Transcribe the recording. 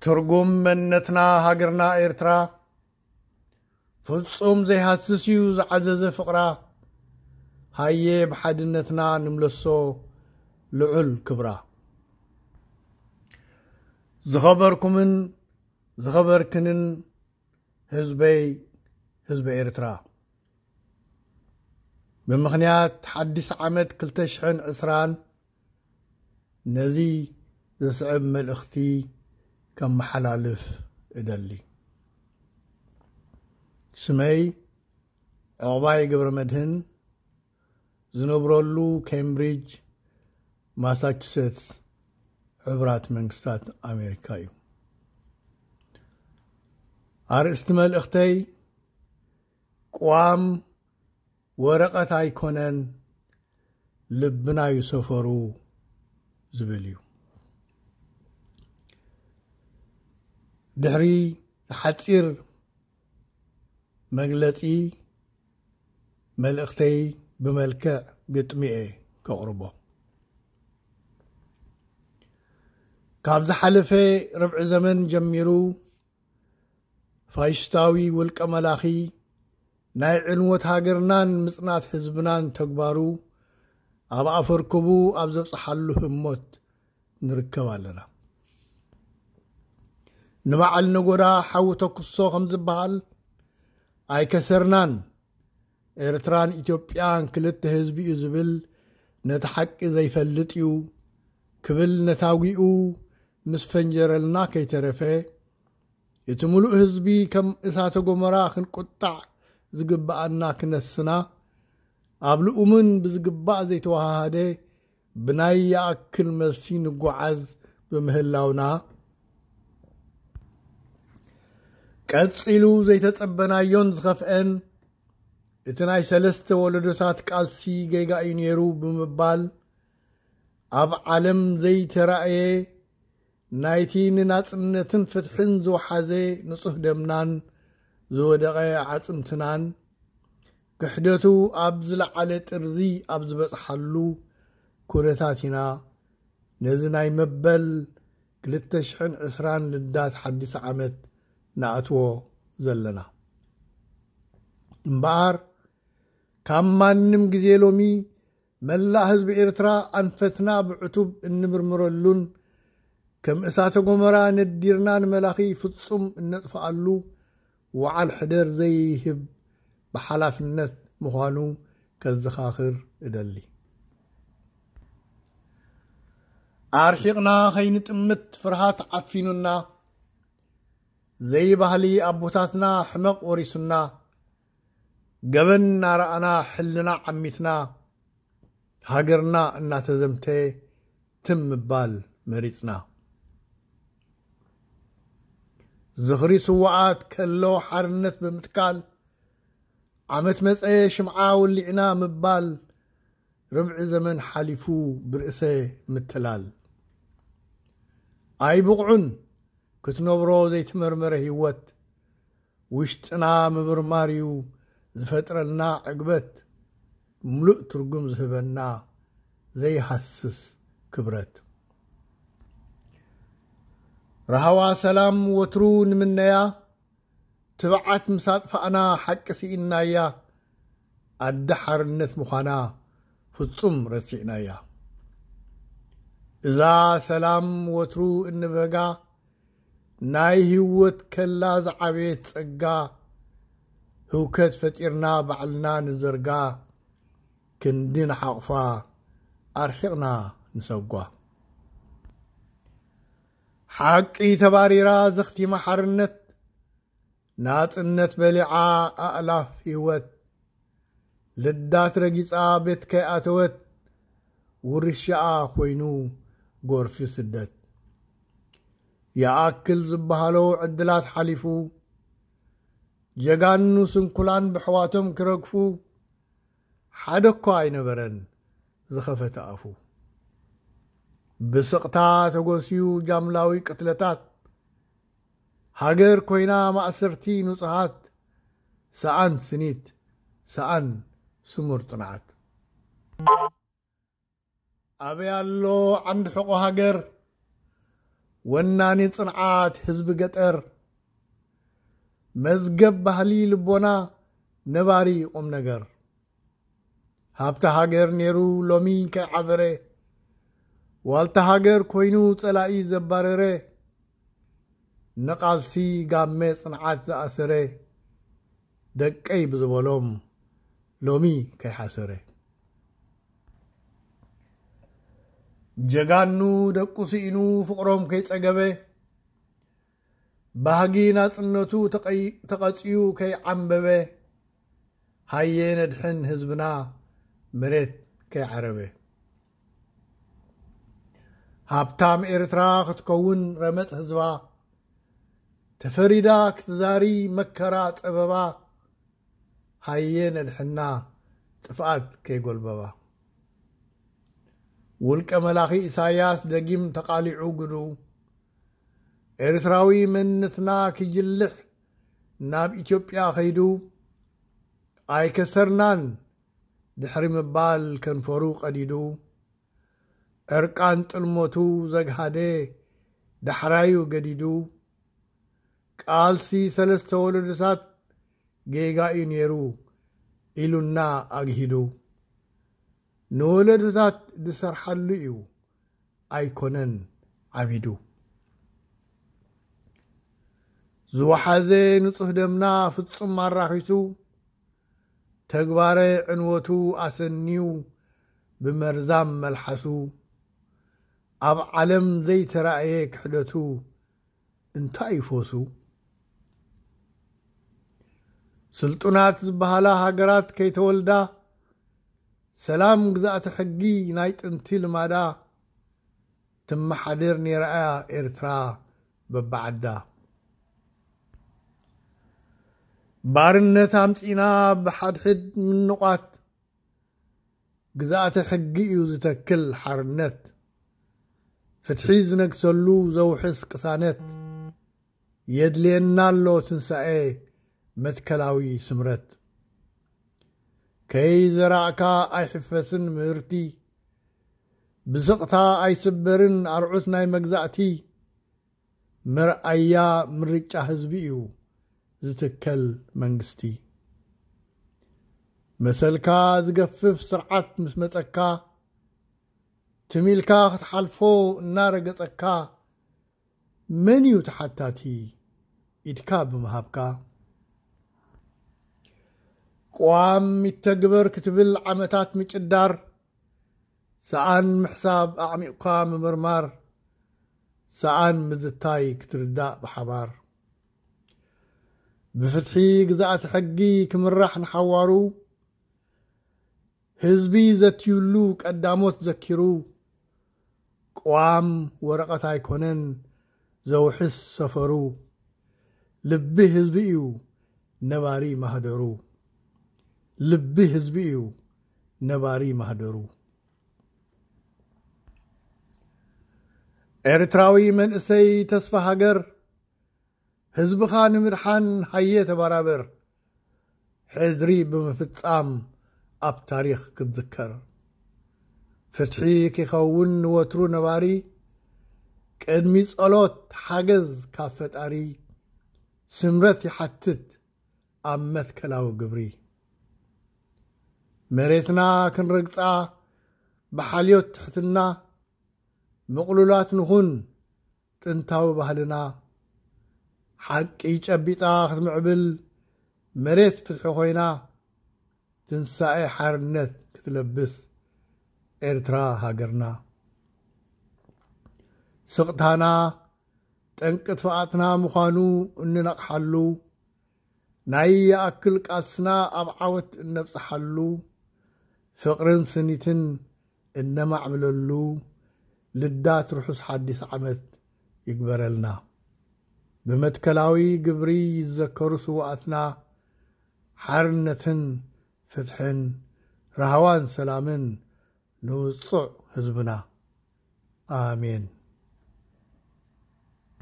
ትርጉም መንነትና ሃገርና ኤርትራ ፍጹም ዘይሃስስ እዩ ዝዓዘዘ ፍቕራ። ሃየ ብሓድነትና ንምለሶ ልዑል ክብራ። ዝኸበርኩምን ዝኸበርክንን ህዝበይ፣ ህዝቢ ኤርትራ፣ ብምኽንያት ሓድሽ ዓመት ክልተ ሽሕን ዕስራን ነዚ ዝስዕብ መልእኽቲ ከመሓላልፍ እደሊ። ስመይ ዕቑባይ ገብረመድህን፣ ዝነብረሉ ኬምብሪጅ ማሳቹሴትስ፣ ሕቡራት መንግስታት ኣሜሪካ እዩ። ኣርእስቲ መልእኽተይ፣ ቅዋም ወረቐት ኣይኮነን፣ ልብና እዩ ሰፈሩ ዝብል እዩ። ድሕሪ ሓጺር መግለጺ፣ መልእኽተይ ብመልክዕ ግጥሚ እየ ከቕርቦ። ካብ ዝሓለፈ ርብዒ ዘመን ጀሚሩ፣ ፋሽስታዊ ውልቀ መላኺ ናይ ዕንወት ሃገርናን ምጽናት ህዝብናን ተግባሩ ኣብ ኣፈርክቡ ኣብ ዘብጽሓሉ ህሞት ንርከብ ኣለና። ንበዓል ነጎዳ ሓዊ ተኩሶ ከም ዝበሃል ኣይከሰርናን። ኤርትራን ኢትዮጵያን ክልተ ህዝቢ እዩ ዝብል ነቲ ሓቂ ዘይፈልጥ እዩ ክብል ነታጒኡ ምስ ፈንጀረልና ከይተረፈ፣ እቲ ምሉእ ህዝቢ ከም እሳተ ጎመራ ክንቁጣዕ ዝግብኣና ክነስና፣ ኣብ ልኡምን ብዝግባእ ዘይተወሃሃደ ብናይ ይኣክል መልሲ ንጓዓዝ ብምህላውና፣ ቀጺሉ ዘይተጸበናዮን ዝኸፍአን እቲ ናይ ሰለስተ ወለዶታት ቃልሲ ጌጋ እዩ ነይሩ ብምባል፣ ኣብ ዓለም ዘይተራእየ ናይቲ ንናጽነትን ፍትሕን ዝወሓዘ ንጹህ ደምናን ዝወደቐ ዓጽምትናን ክሕደቱ ኣብ ዝለዓለ ጥርዚ ኣብ ዝበጽሓሉ ኩነታት ኢና ነዚ ናይ መበል ክልተ ሽሕን ዕስራን ልዳት ሓድሽ ዓመት ንኣትዎ ዘለና። እምበኣር፣ ካብ ማንም ግዜ ሎሚ መላእ ህዝቢ ኤርትራ ኣንፈትና ብዕቱብ እንምርምረሉን ከም እሳተ ጎመራ ነዲርና ንመላኺ ፍጹም እነጥፍኣሉ ወዓል ሕደር ዘይህብ ብሓላፍነት ምዃኑ ከዘኻኽር እደሊ። ኣርሒቕና ከይንጥምት ፍርሃት ዓፊኑና፣ ዘይባህሊ ኣቦታትና ሕመቕ ወሪሱና፣ ገበን እናረኣና ሕልና ዓሚትና፣ ሃገርና እናተዘምተ ትም ምባል መሪጽና። ዝኽሪ ስውኣት ከሎ ሓርነት ብምትካል፣ ዓመት መጸ ሽምዓ ወሊዕና ምባል፣ ርብዒ ዘመን ሓሊፉ ብርእሰ ምትላል። ኣይብቕዑን ክትነብሮ ዘይተመርመረ ህይወት፣ ውሽጥና ምምርማር እዩ ዝፈጥረልና ዕግበት፣ ምሉእ ትርጉም ዝህበና ዘይሃስስ ክብረት። ራህዋ ሰላም ወትሩ ንምነያ፣ ትብዓት ምስ ኣጥፋእና ሓቂ ስኢንናያ፣ ኣደ ሓርነት ምዃና ፍጹም ረሲዕናያ። እዛ ሰላም ወትሩ እንብህጋ፣ ናይ ህይወት ከላ ዝዓበየት ጸጋ፣ ህውከት ፈጢርና ባዕልና ንዘርጋ፣ ክንዲ ንሓቑፋ ኣርሒቕና ንሰጓ። ሓቂ ተባሪራ ዘኽቲማ ሓርነት፣ ናጽነት በሊዓ ኣእላፍ ህይወት፣ ልዳት ረጊጻ ቤት ከይኣተወት፣ ውርሻኣ ኮይኑ ጎርፊ ስደት። ይኣክል ዝበሃሎ ዕድላት ሓሊፉ፣ ጀጋኑ ስንኩላን ብሕዋቶም ክረግፉ፣ ሓደ እኳ ኣይነበረን ዝኸፈተ ኣፉ። ብስቕታ ተጎስዩ ጃምላዊ ቅትለታት፣ ሃገር ኮይና ማእሰርቲ ንጹሃት፣ ሰኣን ስኒት፣ ሰኣን ስሙር ጽንዓት። ኣበይ ኣሎ ዓንዲ ሕቖ ሃገር? ወናኒ ጽንዓት ህዝቢ ገጠር፣ መዝገብ ባህሊ ልቦና፣ ነባሪ ቁም ነገር። ሃብቲ ሃገር ነይሩ ሎሚ ከይዓበረ፣ ዋልታ ሃገር ኮይኑ ጸላኢ ዘባረረ፣ ንቓልሲ ጋመ ጽንዓት ዝኣሰረ፣ ደቀይ ብዝበሎም ሎሚ ከይሓሰረ። ጀጋኑ ደቁ ስኢኑ ፍቕሮም ከይጸገበ፣ ባህጊ ናጽነቱ ተቐይ-፣ ተቐጽዩ ከይዓምበበ፣ ሃየ ነድሕን ህዝብና መሬት ከይዓረበ። ሃብታም ኤርትራ ክትከውን ረመጽ ህዝባ፣ ተፈሪዳ ክትዛሪ መከራ ጸበባ፣ ሃየ ነድሕና ጥፍኣት ከይጎልበባ። ውልቀ መላኺ ኢሳያስ ደጊም ተቓሊዑ ግዱ፣ ኤርትራዊ መንነትና ክጅልሕ ናብ ኢትዮጵያ ከይዱ፣ ኣይከሰርናን ድሕሪ ምባል ከንፈሩ ቀዲዱ፣ ዕርቃን ጥልሞቱ ዘግሃደ ዳሕራዩ ገዲዱ፣ ቃልሲ ሰለስተ ወለዶታት ጌጋ እዩ ነይሩ ኢሉና ኣግሂዱ። ንወለዶታት ዝሰርሓሉ እዩ ኣይኮነን ዓቢዱ። ዝወሓዘ ንጹህ ደምና ፍጹም ኣራኺሱ፣ ተግባረ ዕንወቱ ኣሰንዩ ብመርዛም መልሓሱ፣ ኣብ ዓለም ዘይተራእየ ክሕደቱ እንታይ ይፈሱ? ስልጡናት ዝበሃላ ሃገራት ከይተወልዳ፣ ሰላም ግዛእቲ ሕጊ ናይ ጥንቲ ልማዳ ትመሓደር ነይራ እያ ኤርትራ በብዓዳ። ባርነት ኣምጺና ብሓድሕድ ምንቋት፣ ግዛእቲ ሕጊ እዩ ዝተክል ሓርነት። ፍትሒ ዝነግሰሉ ዘውሕስ ቅሳነት፣ የድልየና ኣሎ ትንሳኤ መትከላዊ ስምረት። ከይዘራእካ ኣይሕፈስን ምህርቲ፣ ብስቕታ ኣይስበርን ኣርዑት ናይ መግዛእቲ። መርኣያ ምርጫ ህዝቢ እዩ ዝትከል መንግስቲ። መሰልካ ዝገፍፍ ስርዓት ምስ መጸካ፣ ትም ኢልካ ክትሓልፎ እናረገጸካ፣ መን እዩ ተሓታቲ ኢድካ ብምሃብካ? ቅዋም ይተግበር ክትብል ዓመታት ምጭዳር፣ ሰኣን ምሕሳብ ኣዕሚቕካ ምምርማር፣ ሰኣን ምዝታይ ክትርዳእ ብሓባር። ብፍትሒ ግዛእቲ ሕጊ ክምራሕ ንሓዋሩ፣ ህዝቢ ዘትዩሉ ቀዳሞት ዘኪሩ፣ ቅዋም ወረቐት ኣይኮነን ዘውሕስ ሰፈሩ። ልቢ ህዝቢ እዩ ነባሪ ማህደሩ። ልቢ ህዝቢ እዩ ነባሪ ማህደሩ። ኤርትራዊ መንእሰይ ተስፋ ሃገር፣ ህዝብኻ ንምድሓን ሃየ ተበራበር። ሕድሪ ብምፍጻም ኣብ ታሪኽ ክትዝከር። ፍትሒ ክኸውን ንወትሩ ነባሪ፣ ቅድሚ ጸሎት ሓገዝ ካብ ፈጣሪ። ስምረት ይሓትት ኣብ መትከላዊ ግብሪ። መሬትና ክንረግጻ ብሓልዮት ትሕትና፣ ምቕሉላት ንኹን ጥንታዊ ባህልና። ሓቂ ጨቢጣ ክትምዕብል መሬት ፍትሒ ኮይና፣ ትንሳኤ ሓርነት ክትለብስ ኤርትራ ሃገርና። ስቕታና ጠንቂ ጥፍኣትና ምዃኑ እንነቕሓሉ፣ ናይ ይኣክል ቃልስና ኣብ ዓወት እነብጽሓሉ፣ ፍቕርን ስኒትን እነማዕብለሉ ልዳት ርሑስ ሓዲስ ዓመት ይግበረልና። ብመትከላዊ ግብሪ ይዘከሩ ስውኣትና፣ ሓርነትን ፍትሕን፣ ራህዋን ሰላምን ንውጹዕ ህዝብና። ኣሜን።